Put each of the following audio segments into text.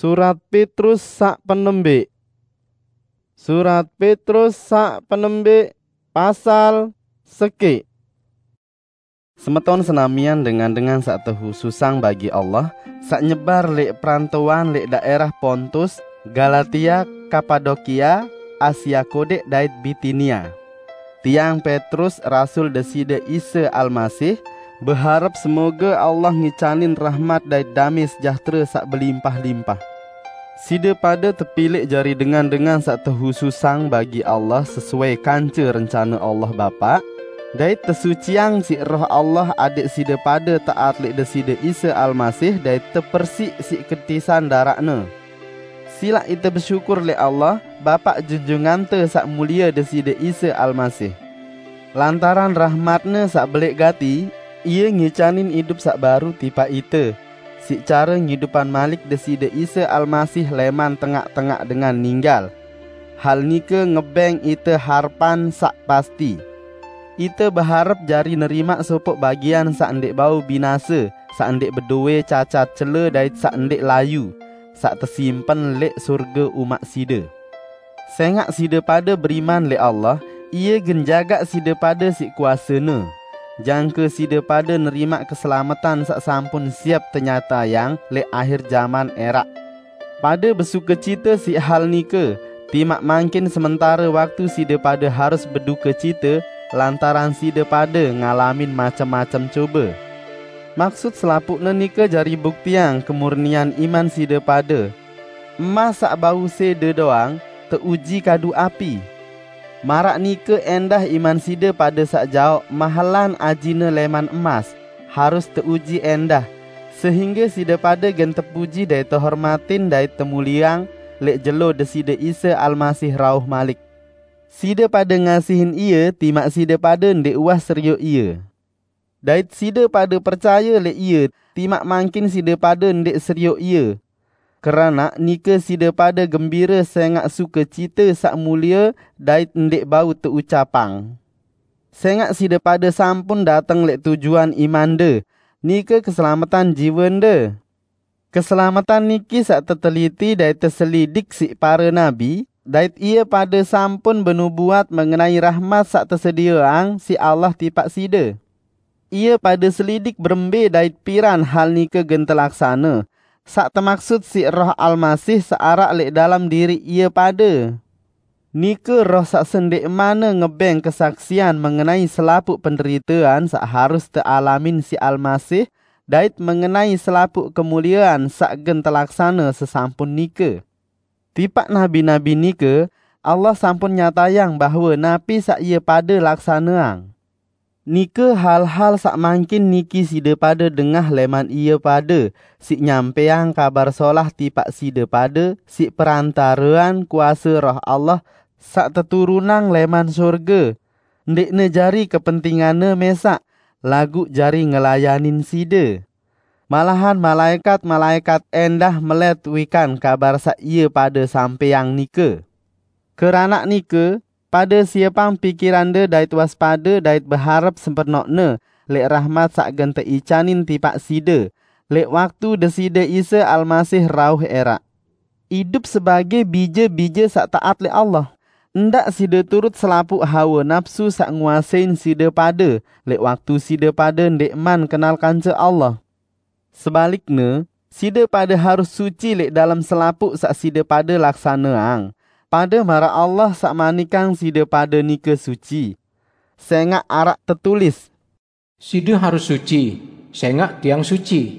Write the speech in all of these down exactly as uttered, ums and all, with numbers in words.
Surat Petrus sak penembik. Surat Petrus sak penembik, pasal sekik. Semeton senamian dengan-dengan sak tehususang bagi Allah, sak nyebar lek perantauan lek daerah Pontus, Galatia, Kapadokia, Asia Kodik dait Bitinia. Tiang Petrus, rasul Deside Isa Almasih, beharep semoga Allah ngicanin rahmat dait damai sejahtera sak belimpah-limpah. Side pade tepilik jari dengan-dengan sak tehususang bagi Allah sesuai kance rencana Allah Bapa, dait tesuciang siq Roh Allah adik side pade taat lek Deside Isa Almasih dait tepersik siq ketisan daraq-Ne. Silaq ite besyukur lek Allah, Bapa junjungante sak mulie Deside Isa Almasih. Lantaran rahmat-Ne sak belek gati, Ie ngicanin idup sak baru tipaq ite, siq care ngidupan malik Deside Isa Almasih leman tengaq-tengaq dengan ninggal. Hal nike ngebeng ite harepan sak pasti. Ite beharep jari nerimaq sopoq bagian sak ndeq bau binase, sak ndeq bedowe cacat cele dait sak ndeq layu, sak tesimpen lek surge umaq side. Sengaq side pade beriman lek Allah, Ie gen jagaq side pade siq kuase-Ne, jangke side pade nerimaq keselametan sak sampun siap tenyatayang lek akhir jaman eraq. Pade besukecite siq hal nike, timaq mangkin sementare waktu side pade harus bedukecite lantaran side pade ngalamin macem-macem cobe. Maksud selapuqne nike jari buktiang kemurnian iman side pade. Emas saq bau sede doang teuji kadu api. Maraq nike endah iman side pade saq jaoq mahelan ajine leman emas, harus teuji endah, sehingge side pade gen tepuji dait tehormatin dait temulieang lek jelo Deside Isa Almasih rauh malik. Side pade ngasihin Ie timaq side pade ndeq uwah serioq Ie. Dait side pade percaye lek Ie, timaq mangkin side pade ndeq serioq Ie. Keranaq nike side pade gembire sengaq sukecite saq mulie dait ndeq bau teucapang. Sengaq side pade sampun dateng lek tujuan imande, nike keselametan jiwende. Keselametan niki saq teteliti dait teselidik siq pare nabi, dait ie pade sampun benubuat mengenai rahmat saq tesedieang siq Allah tipaq side. Ie pade selidik berembe dait piran hal nike gen telaksane, saq temaksud siq Roh Almasih saq araq lek dalem diriq ie pade. Nike Roh saq sendeqmane ngebeng kesaksian mengenai selapuq penderitean saq harus tealamin siq Almasih, dait mengenai selapuq kemuliean saq gen telaksane sesampun nike. Tipaq nabi-nabi nike, Allah sampun nyatayang bahwe napi saq ie pade laksaneang. Nike hal-hal saq mangkin niki side pade dengah leman ie pade, siq nyampeang Kabar Solah tipaq side pade siq perantarean kuase Roh Allah saq teturunang leman sorge, ndeqne jari kepentinganne mesaq, laguq jari ngelayanin side. Malahan malaekat-malaekat endah melet wikan kabar saq ie pade sampeang nike. Keranaq nike, pade siepang pikirande dait waspade dait beharep sempenoqne leq rahmat saq gen teicanin tipaq side, leq waktu Deside Isa Almasih rauh eraq. Idup sebage bije-bije saq taat leq Allah. Ndaq side turut selapuq hawe napsu saq nguasein side pade leq waktu side pade ndeqman kenal kance Allah. Sebalikne, side pade harus suci leq dalem selapuq saq side pade laksaneang, pade maraq Allah saq manikang side pade nike suci. Sengaq araq tetulis, "Side harus suci, sengaq Tiang suci."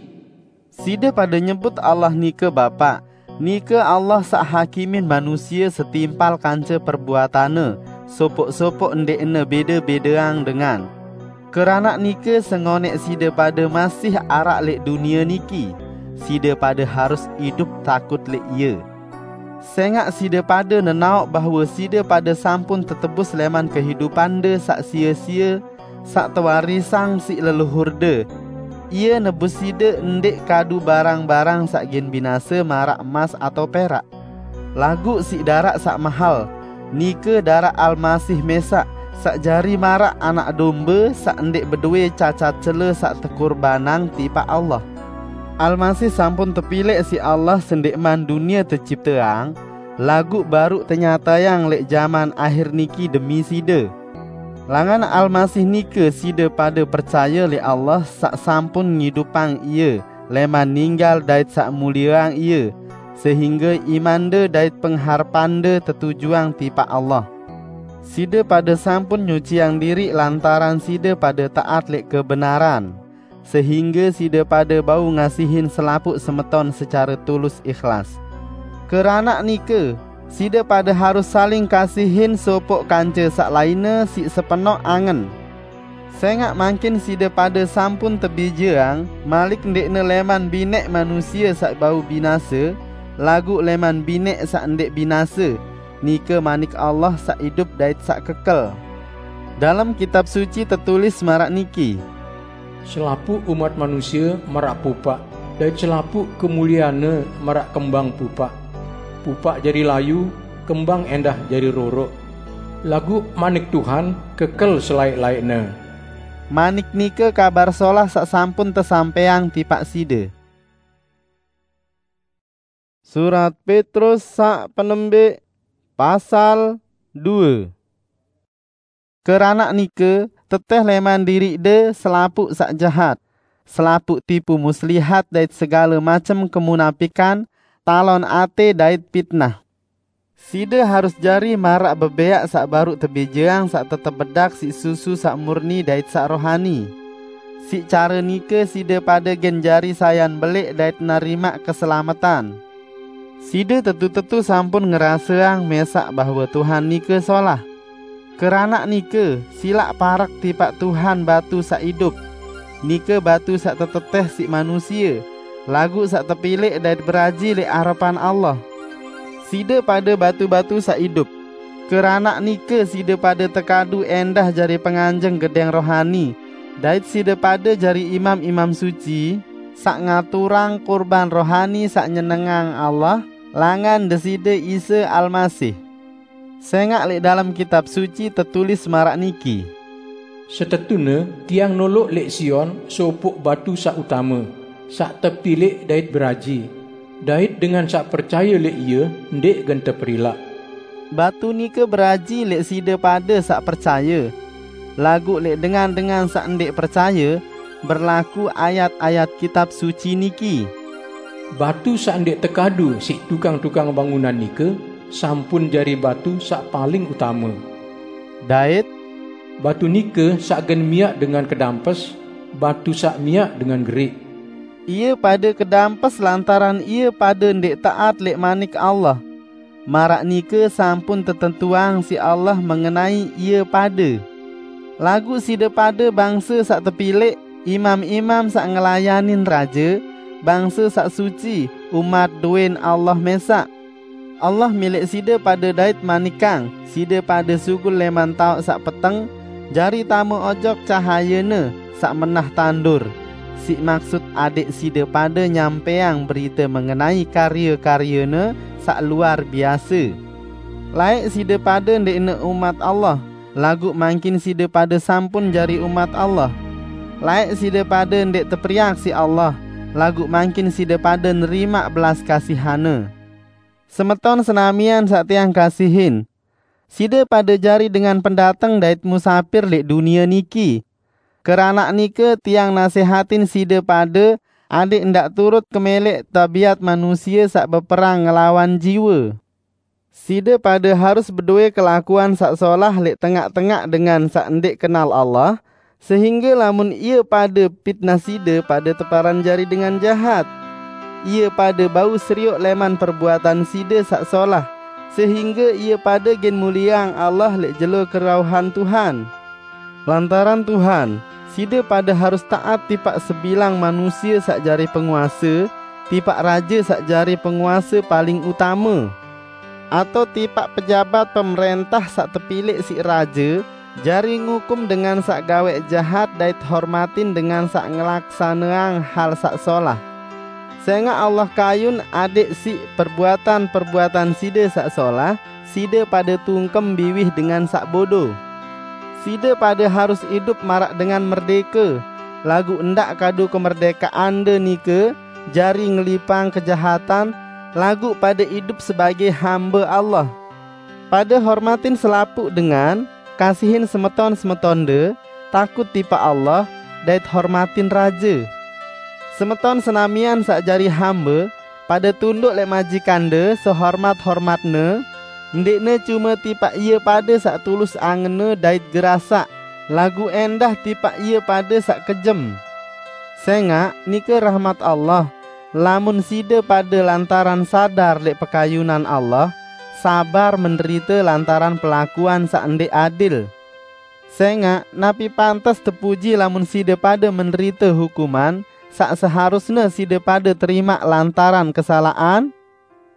Side pade nyebut Allah nike Bapa. Nike Allah saq hakimin manusie setimpal kance perbuatanne, sopoq-sopoq ndeqne bede-bedeang dengan. Keranaq nike, sengoneq side pade masih araq leq dunie niki, side pade harus idup takut leq Ie. Sengaq side pade nenaoq bahwe side pade sampun tetebus leman kehidupande saq sie-sie, saq tewarisang siq leluhurde. Ie nebus side ndeq kadu barang-barang saq gen binase maraq emas atao perak, laguq siq daraq saq mahel, nike daraq Almasih mesaq, saq jari maraq Anak Dombe saq ndeq bedowe cacat cele saq tekurbanang tipaq Allah. Almasih sampun tepilek siq Allah sendikman dunie tecipteang, laguq baruq tenyatayang leq jaman akhir niki demi side. Langan Almasih nike side pade percaye leq Allah saq sampun ngidupang Ie leman ninggal dait saq mulieang Ie, sehingge imande dait pengharepande tetujuang tipaq Allah. Side pade sampun nyuciang diriq lantaran side pade taat leq kebenaran, sehingge side pade bau ngasihin selapuq semeton secare tulus ikhlas. Keranaq nike, side pade harus saling kasihin sopoq kance saq lainne siq sepenoq angen. Sengaq mangkin side pade sampun tebijeang malik ndeqne leman bineq manusie saq bau binase, laguq leman bineq saq ndeq binase, nike Manik Allah saq idup dait saq kekel. Dalem Kitab Suci tetulis maraq niki, "Selapuq umat manusie maraq pupaq, dait selapuq kemulieanne maraq kembang pupaq. Pupaq jari layu, kembang endah jari roroq. Laguq manik Tuhan kekel selaeq-laeqne." Manik nike Kabar Solah saq sampun tesampaiang tipaq side. Surat Petrus saq penembeq, pasal due. Keranaq nike, teteh leman diriqde selapuq saq jahat, selapuq tipu muslihat dait segale macem kemunapikan, talon ate dait pitnah. Side harus jari maraq bebeaq saq baruq tebijeang saq tetep bedak siq susu saq murni dait saq rohani. Siq care nike side pade gen jari sayan beleq dait nerimaq keselametan. Side tetu-tetu sampun ngeraseang mesaq bahwe Tuhan nike solah. Keranaq nike, silaq parek tipaq Tuhan batu saq idup, nike batu saq teteteh siq manusie, laguq saq tepilek dait beraji leq arepan Allah. Side pade batu-batu saq idup. Keranaq nike side pade tekadu endah jari penganjeng gedeng rohani, dait side pade jari imam-imam suci, saq ngaturang kurban rohani saq nyenengang Allah, langan Deside Isa Almasih. Sengaq leq dalem Kitab Suci tetulis maraq niki, "Setetune Tiang noloq leq Sion sopoq batu saq utame, saq tepilek dait beraji, dait dengan saq percaye leq Ie ndeq gen teperilaq." Batu nike beraji leq side pade saq percaye, laguq leq dengan-dengan saq ndeq percaye, berlaku ayat-ayat Kitab Suci niki, "Batu saq ndeq tekadu siq tukang-tukang bangunan nike sampun jari batu saq paling utame." Dait, "Batu nike saq gen miaq dengan kedampes, batu saq miaq dengan geriq." Ie pade kedampes lantaran ie pade ndeq taat leq Manik Allah. Maraq nike sampun tetentuang siq Allah mengenai ie pade. Laguq side pade bangse saq tepilek, imam-imam saq ngelayanin Raje, bangse saq suci, umat duen Allah mesaq. Allah milek side pade dait manikang side pade sugul leman taoq saq peteng, jari tame ojok cahaye-Ne saq menah tandur, siq maksut adek side pade nyampeang berite mengenai karye-karye-Ne saq luar biase. Laeq side pade ndeqne umat Allah, laguq mangkin side pade sampun jari umat Allah. Laeq side pade ndeq teperiak siq Allah, laguq mangkin side pade nerimaq belas kasihan-Ne. Semeton senamian saq tiang kasihin, side pade jari dengan pendateng dait musapir leq dunie niki. Keranaq nike tiang nasehatin side pade adek ndaq turut kemeleq tabiat manusie saq beperang ngelawan jiwe. Side pade harus bedoe kelakuan saq solah leq tengaq-tengaq dengan saq ndeq kenal Allah, sehingge lamun ie pade pitnah side pade teparan jari dengan jahat. Ie pade bau serioq leman perbuatan side saq solah, sehingge ie pade gen mulieang Allah leq jelo kerauhan Tuhan. Lantaran Tuhan, side pade harus taat tipaq sebilang manusie saq jari penguase, tipaq raje saq jari penguase paling utame, atao tipaq pejabat pemerentah saq tepilek siq raje, jari ngukum dengan saq gaweq jahat dait hormatin dengan saq ngelaksaneang hal saq solah. Sengaq Allah kayun adek siq perbuatan-perbuatan side saq solah, side pade tungkem biwih dengan saq bodo. Side pade harus idup maraq dengan merdeke, laguq ndaq kadu kemerdekaande nike jari ngelipang kejahatan, laguq pade idup sebagaq hambe Allah. Pade hormatin selapuq dengan, kasihin semeton-semetonde, takut tipaq Allah, dait hormatin raje. Semeton senamian saq jari hambe, pade tunduk leq majikande sehormat-hormatne, ndeqne cume tipaq ie pade saq tulus angenne dait gerasaq, laguq endah tipaq ie pade saq kejem. Sengaq nike rahmat Allah, lamun side pade lantaran sadar leq pekayunan Allah, sabar menderite lantaran pelakuan saq ndeq adil. Sengaq napi pantes tepuji lamun side pade menderite hukuman saq seharusne side pade terimaq lantaran kesalaqan?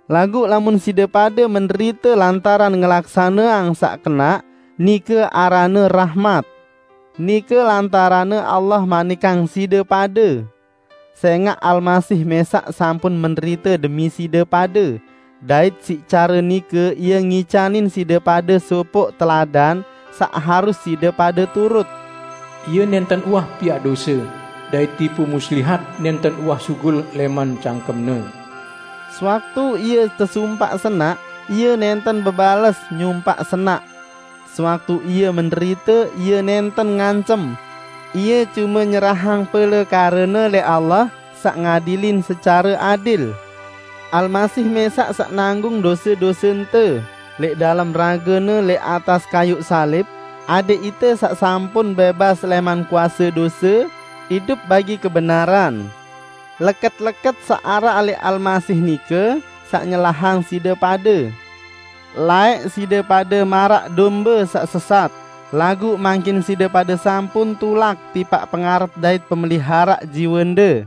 Laguq lamun side pade menderite lantaran ngelaksaneang saq kenaq, nike aranne rahmat. Nike lantaranne Allah manikang side pade. Sengaq Almasih mesaq sampun menderite demi side pade, dait siq care nike Ie ngicanin side pade sopoq teladan saq harus side pade turut. Ie nenten uwah piaq dose, dait tipu muslihat nenten uwah sugul leman cangkemne. Sewaktu Ie tesumpaq senaq, Ie nenten bebales nyumpaq senaq. Sewaktu Ie menderite, Ie nenten ngancem. Ie cume nyerahang pelekarene leq Allah saq ngadilin secare adil. Almasih mesaq saq nanggung dose-dosente leq dalem ragene leq atas kayuq salib, adeq ite saq sampun bebas leman kuase dose, idup bagi kebenaran. Leket-leket saq araq leq Almasih nike saq nyelahang side pade. Laeq side pade maraq dombe saq sesat, laguq mangkin side pade sampun tulak tipaq pengarep dait pemeliharaq jiwende.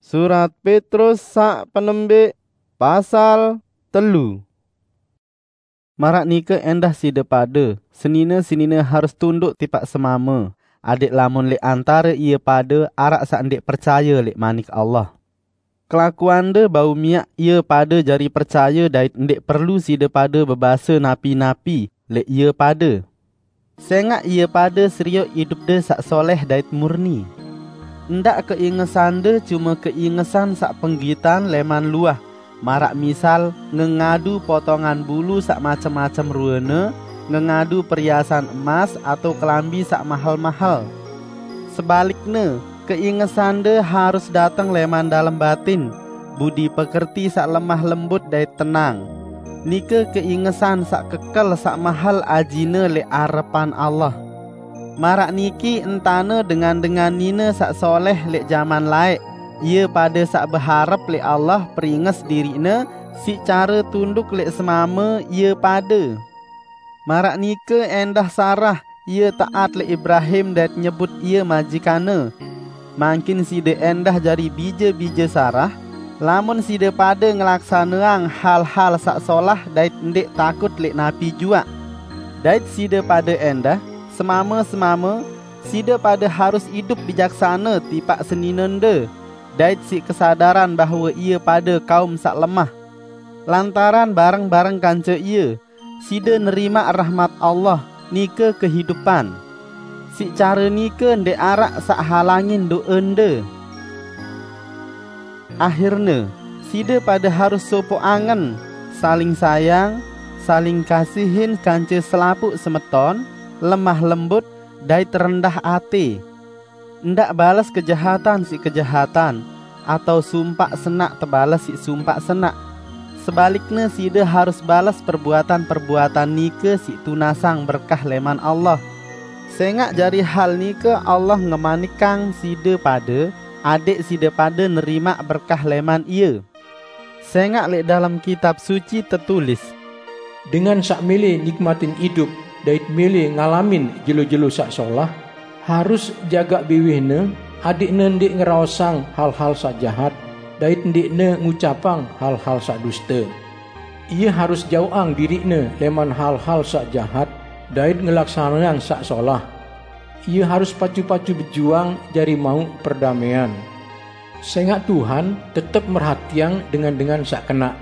Surat Petrus saq penembeq, pasal telu. Maraq nike endah side pade, senine-senine harus tunduk tipaq semame, adeq lamun leq antare ie pade araq saq ndeq percaye leq Manik Allah. Kelakuande bau miaq ie pade jari percaye dait ndeq perlu side pade bebase napi-napi leq ie pade. Sengaq ie pade serioq idupde saq soleh dait murni. Ndaq keingesande cume keingesan saq penggitan leman luah, maraq misal ngengadu potongan bulu saq macem-macem ruene, ngengadu periasan emas atau kelambi saq mahel-mahel. Sebalikne, keingesande harus dateng leman dalem batin, budi pekerti saq lemah lembut dait tenang. Nike keingesan saq kekel saq mahel ajine leq arepan Allah. Maraq niki entane dengan-dengan nine saq soleh leq jaman laeq, ie pade saq beharep leq Allah peringes diriqne siq care tunduk leq semame ie pade. Maraq nike endah Sarah, ie taat leq Ibrahim dait nyebut ie majikanne. Mangkin side endah jari bije-bije Sarah, lamun side pade ngelaksaneang hal-hal saq solah dait ndeq takut leq napi juaq. Dait side pade endah, semame-semame, side pade harus idup bijaksane tipaq seninende, dait siq kesadaran bahwe ie pade kaum saq lemah. Lantaran bareng-bareng kance ie, side nerimaq rahmat Allah, nike kehidupan. Siq care nike ndeq araq saq halangin do'ende. Ahirne, side pade harus sopoq angen, saling sayang, saling kasihin kance selapuq semeton, lemah lembut, dait rendah ate. Ndaq bales kejahatan siq kejahatan, atau sumpaq senaq tebales siq sumpaq senaq. Sebalikne, side harus bales perbuatan-perbuatan nike siq tunasang berkah leman Allah. Sengaq jari hal nike Allah ngemanikang side pade, adeq side pade nerimaq berkah leman Ie. Sengaq leq dalem Kitab Suci tetulis, "Dengan saq mele nikmatin idup dait mele ngalamin jelo-jelo saq solah, harus jagaq biwihne, adeqne ndeq ngeraosang hal-hal saq jahat, dait ndeqne ngucapang hal-hal saq duste. Ie harus jauqang diriqne leman hal-hal saq jahat, dait ngelaksaneang saq solah. Ie harus pacu-pacu bejuang jari mauq perdamean. Sengaq Tuhan tetep merhatiang dengan-dengan saq kenaq,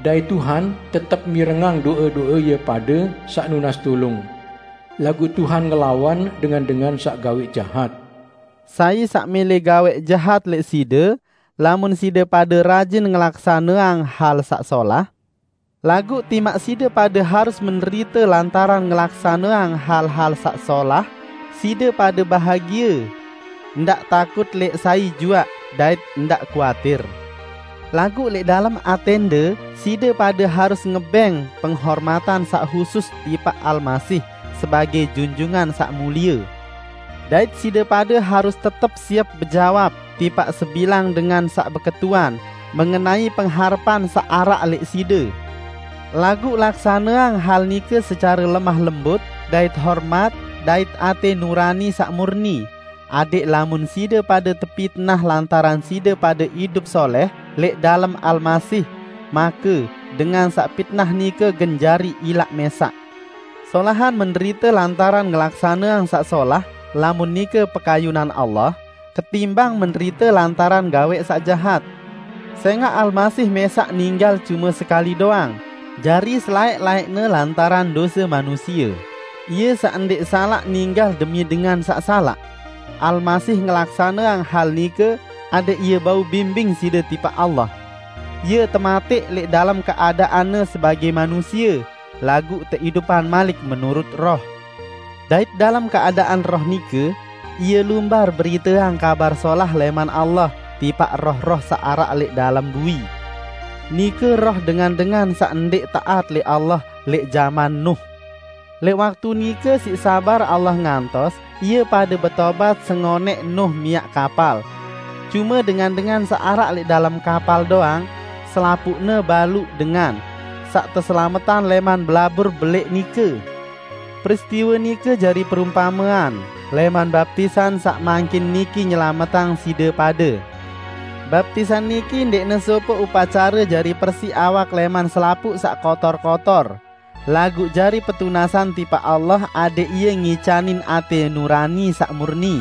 dait Tuhan tetep mirengang do'e-do'e ie pade saq nunas tulung. Laguq Tuhan ngelawan dengan-dengan saq gaweq jahat." Sai saq mele gaweq jahat leq side, lamun side pade rajin ngelaksaneang hal saq solah? Laguq timaq side pade harus menderite lantaran ngelaksaneang hal-hal saq solah, side pade bahagie, ndaq takut leq sai juaq, dait ndaq kuatir. Laguq leq dalem atende, side pade harus ngebeng penghormatan saq husus tipaq Almasih sebage junjungan saq mulie. Dait side pade harus tetep siep bejawab tipaq sebilang dengan saq beketuan mengenai pengharepan saq araq leq side. Laguq laksaneang hal nike secare lemah lembut, dait hormat, dait ate nurani saq murni, adeq lamun side pade tepitnah lantaran side pade idup soleh leq dalem Almasih, make dengan saq pitnah nike gen jari ilaq mesaq. Solahan menderite lantaran ngelaksaneang saq solah, lamun nike pekayunan Allah, ketimbang menderite lantaran gaweq saq jahat. Sengaq Almasih mesaq ninggal cume sekali doang, jari selaeq-laeqne lantaran dose manusie. Ie saq ndeq salaq ninggal demi dengan saq salaq. Almasih ngelaksaneang hal nike adeq Ie bau bimbing side tipaq Allah. Ie temateq leq dalem keadaanne sebage manusie, laguq teidupan malik menurut Roh. Dait dalem keadaan Roh nike, Ie lumbar beriteang Kabar Solah leman Allah tipaq roh-roh saq araq leq dalem bui. Nike roh dengan-dengan saq ndeq taat leq Allah leq jaman Nuh. Leq waktu nike siq sabar Allah ngantos ie pade betobat sengoneq Nuh miaq kapal. Cume dengan-dengan saq araq leq dalem kapal doang, selapuqne baluq dengan saq teselametan leman belabur beleq nike. Peristiwe nike jari perumpamean leman baptisan saq mangkin niki nyelametang side pade. Baptisan niki ndeqne sopoq upacare jari persi awak leman selapuq saq kotor-kotor, laguq jari petunasan tipaq Allah adeq Ie ngicanin ate nurani saq murni.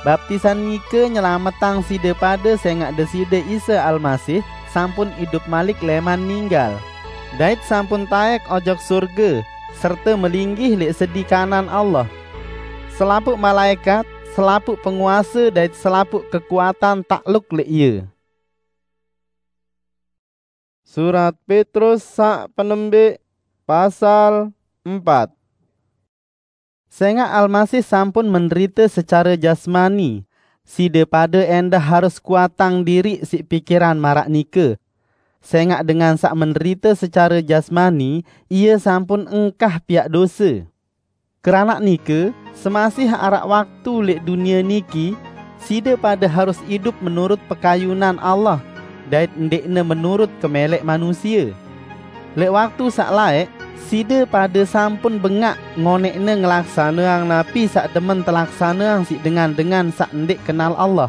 Baptisan nike nyelametang side pade sengaq Deside Isa Almasih sampun idup malik leman ninggal, dait sampun taek ojok surge serte melinggih leq sedi kanan Allah. Selapuq malaekat, selapuq penguase dait selapuq kekuatan takluk leq Ie. Surat Petrus saq penembeq, pasal empat. Sengaq Almasih sampun menderite secare jasmani, side pade endah harus kuatang diriq siq pikiran maraq nike. Sengaq dengan saq menderite secare jasmani, ie sampun engkah piaq dose. Keranaq nike, semasih araq waktu leq dunie niki, side pade harus idup menurut pekayunan Allah, dait ndeqne menurut kemeleq manusie. Leq waktu saq laeq, side pade sampun bengaq ngoneqne ngelaksaneang napi saq demen telaksaneang siq dengan-dengan saq ndeq kenal Allah.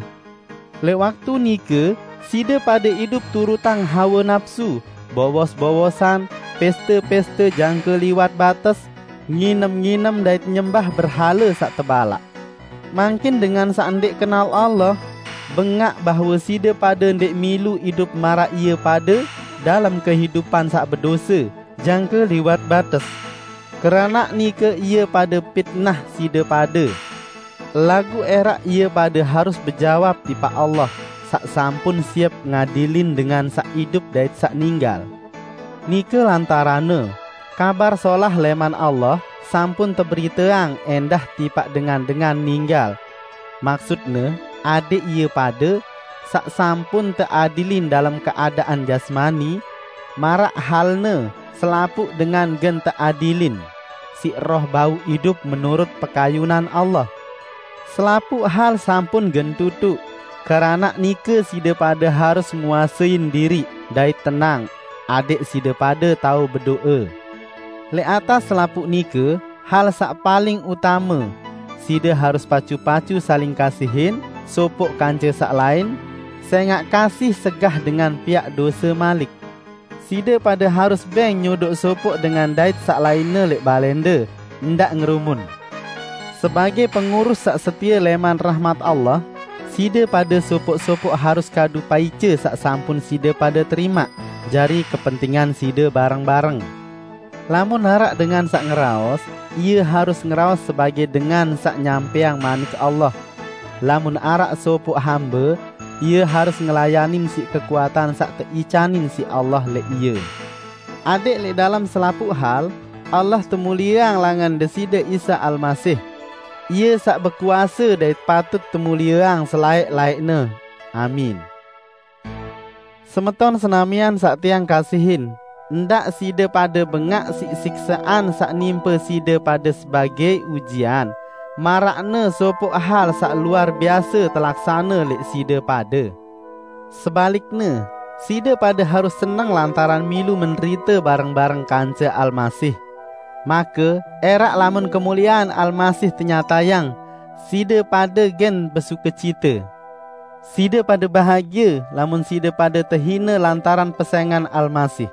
Leq waktu nike, side pade idup turutang hawe napsu, bowos-bowosan, peste-peste jangke liwat bates, nginem-nginem dait nyembah berhale saq tebalaq. Mangkin dengan saq ndeq kenal Allah, bengaq bahwe side pade ndeq milu idup maraq ie pade dalem kehidupan saq bedose, jangke liwat bates. Keranaq nike ie pade pitnah side pade. Laguq eraq ie pade harus bejawab tipaq Allah, saq sampun siep ngadilin dengan saq idup dait saq ninggal. Nike lantaranne, Kabar Solah leman Allah sampun teberiteang endah tipaq dengan-dengan ninggal. Maksutne, adeq ie pade, saq sampun teadilin dalem keadaan jasmani, maraq halne selapuq dengan gen teadilin siq Roh bau idup menurut pekayunan Allah. Selapuq hal sampun gen tutuq, keranaq nike side pade harus nguasein diriq dait tenang, adeq side pade tao bedo'e. Leq atas selapuq nike, hal saq paling utame, side harus pacu-pacu saling kasihin sopoq kance saq lain, sengaq kasih segah dengan piaq dose malik. Side pade harus beng nyodoq sopoq dengan dait saq lainne leq balende, ndaq ngerumun. Sebage pengurus saq setie leman rahmat Allah, side pade sopoq-sopoq harus kadu paice saq sampun side pade terimaq jari kepentingan side bareng-bareng. Lamun araq dengan saq ngeraos, ie harus ngeraos sebage dengan saq nyampeang manik Allah. lamun araq sopoq hambe, ie harus ngelayanin siq kekuatan saq teicanin siq Allah leq ie. Adeq leq dalem selapuq hal, Allah temulieang langan Deside Isa Almasih. Ie saq bekuase dait patut temulieang selaeq-laeqne. Amin. Semeton senamian saq tiang kasihin, ndaq side pade bengaq siq siksaqan saq nimpe side pade sebagei ujian, maraqne sopoq hal saq luar biase telaksane leq side pade. Sebalikne, side pade harus seneng lantaran milu menderite bareng-bareng kance Almasih. Make, eraq lamun kemuliean Almasih tenyatayang, side pade gen besukecite. Side pade bahagie lamun side pade tehine lantaran pesengan Almasih.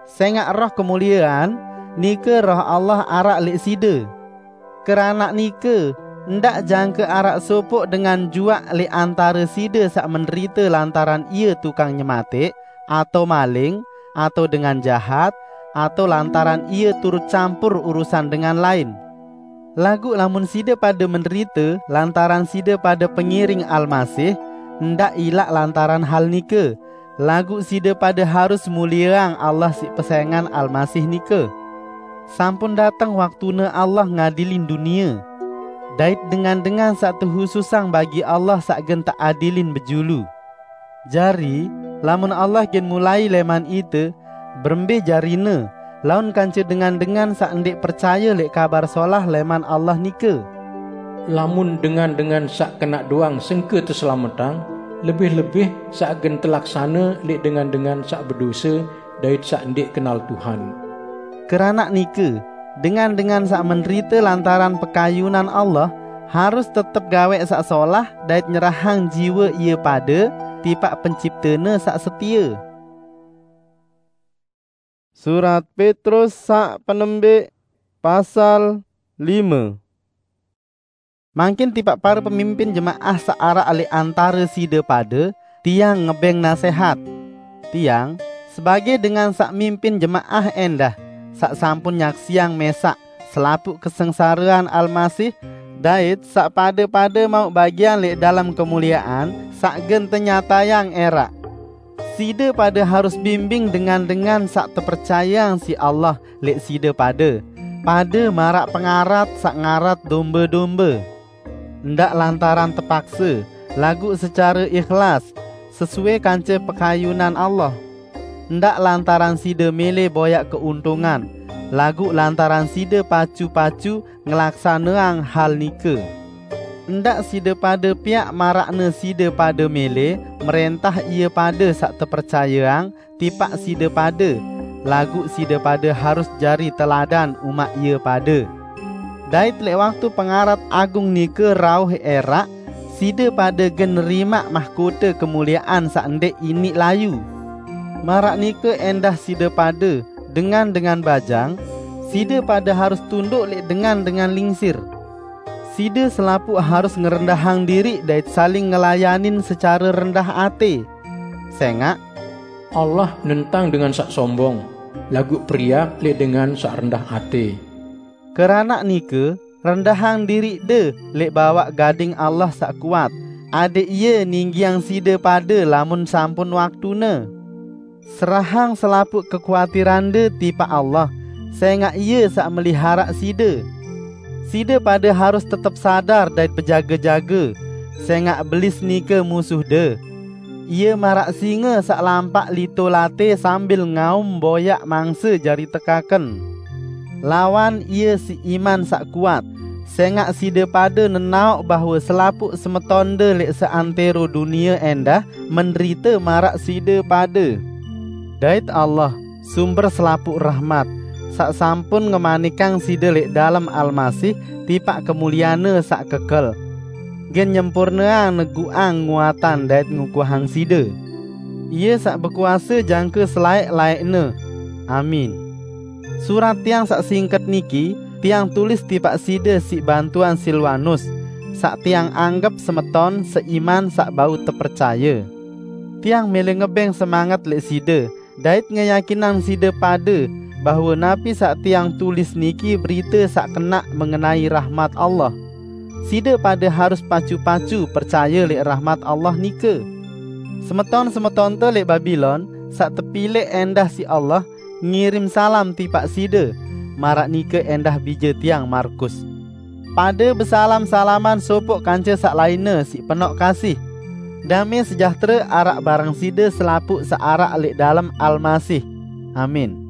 Sengaq Roh kemuliean, nike Roh Allah araq leq side. Keranaq nike, ndaq jangke araq sopoq dengan juaq leq antare side saq menderite lantaran ie tukang nyemateq, atao maling, atao dengan jahat, atao lantaran ie turut campur urusan dengan lain. Laguq lamun side pade menderite lantaran side pade pengiring Almasih, ndaq ilaq lantaran hal nike, laguq side pade harus mulieang Allah siq pesengan Almasih nike. Sampun dateng waktune Allah ngadilin dunie, dait dengan-dengan saq tehususang bagi Allah saq gen teadilin bejulu. Jari, lamun Allah gen mulai leman ite, berembe jarine, laun kance dengan-dengan saq ndeq percaye leq Kabar Solah leman Allah nike? Lamun dengan-dengan saq kenaq doang sengke teselametang, lebih-lebih saq gen telaksane leq dengan-dengan saq bedose dait saq ndeq kenal Tuhan. Keranaq nike, dengan-dengan saq menderite lantaran pekayunan Allah, harus tetep gaweq saq solah dait nyerahang jiwe ie pade tipaq Penciptene saq setie. Surat Petrus saq penembeq, pasal lime. Mangkin tipaq pare pemimpin jemaah saq araq leq antare side pade, tiang ngebeng nasehat. Tiang, sebage dengan saq mimpin jemaah endah, saq sampun nyaksiang mesaq selapuq kesengsarean Almasih, dait saq pade-pade mauq bagian leq dalem kemuliean saq gen tenyatayang eraq. Side pade harus bimbing dengan-dengan saq tepercayeang siq Allah leq side pade, pade maraq pengarat saq ngarat dombe-dombe. Ndaq lantaran tepakse, laguq secare ikhlas, sesuai kance pekayunan Allah. Ndaq lantaran side mele boyaq keuntungan, laguq lantaran side pacu-pacu ngelaksaneang hal nike. Ndaq side pade piaq maraqne side pade mele mrentah ie pade saq tepercayeang tipaq side pade, laguq side pade harus jari teladan umaq ie pade. Dait leq waktu pengarat agung nike rauh eraq, side pade gen nerimaq mahkote kemuliean saq ndeq iniq layu. Maraq nike endah side pade, dengan-dengan bajang, side pade harus tunduk leq dengan-dengan lingsir. Side selapuq harus ngerendahang diriq dait saling ngelayanin secare rendah ate. Sengaq, "Allah nentang dengan saq sombong, laguq periak leq dengan saq rendah ate." Keranaq nike, rendahang diriqde leq bawaq gading Allah saq kuat, adeq Ie ninggiang side pade lamun sampun waktune. Serahang selapuq kekuatirande tipaq Allah, sengaq Ie saq meliharaq side. Side pade harus tetep sadar dait bejage-jage, sengaq Belis nike musuhde. Ie maraq singe saq lampaq lito late sambil ngaum boyaq mangse jari tekaken. Lawan ie siq iman saq kuat, sengaq side pade nenaoq bahwe selapuq semetonde leq seantero dunie endah menderite maraq side pade. Dait Allah, sumber selapuq rahmat, saq sampun ngemanikang side leq dalem Almasih tipaq kemulianne saq kekel, gen nyempurneang neguqang nguatan dait ngukuhang side. Ie saq bekuase jangke selaeq-laeqne. Amin. Surat tiang saq singket niki tiang tulis tipaq side siq bantuan Silwanus, saq tiang anggep semeton seiman saq bau tepercaye. Tiang mele ngebeng semanget leq side, dait ngeyakinang side pade bahwe napi saq tiang tulis niki berite saq kenaq mengenai rahmat Allah. side pade harus pacu-pacu percaye lẽq rahmat Allah nike. Semeton-semetonte lẽq Babilon, saq tepileq ẽndah siq Allah, ngirim salam tipaq side, maraq nike ẽndah bije tiang Markus. Pade besalam-salaman sopoq kance saq lainne siq penoq kasih. Dame sejahtere araq bareng side selapuq saq araq lẽq dalem Almasih. Amin.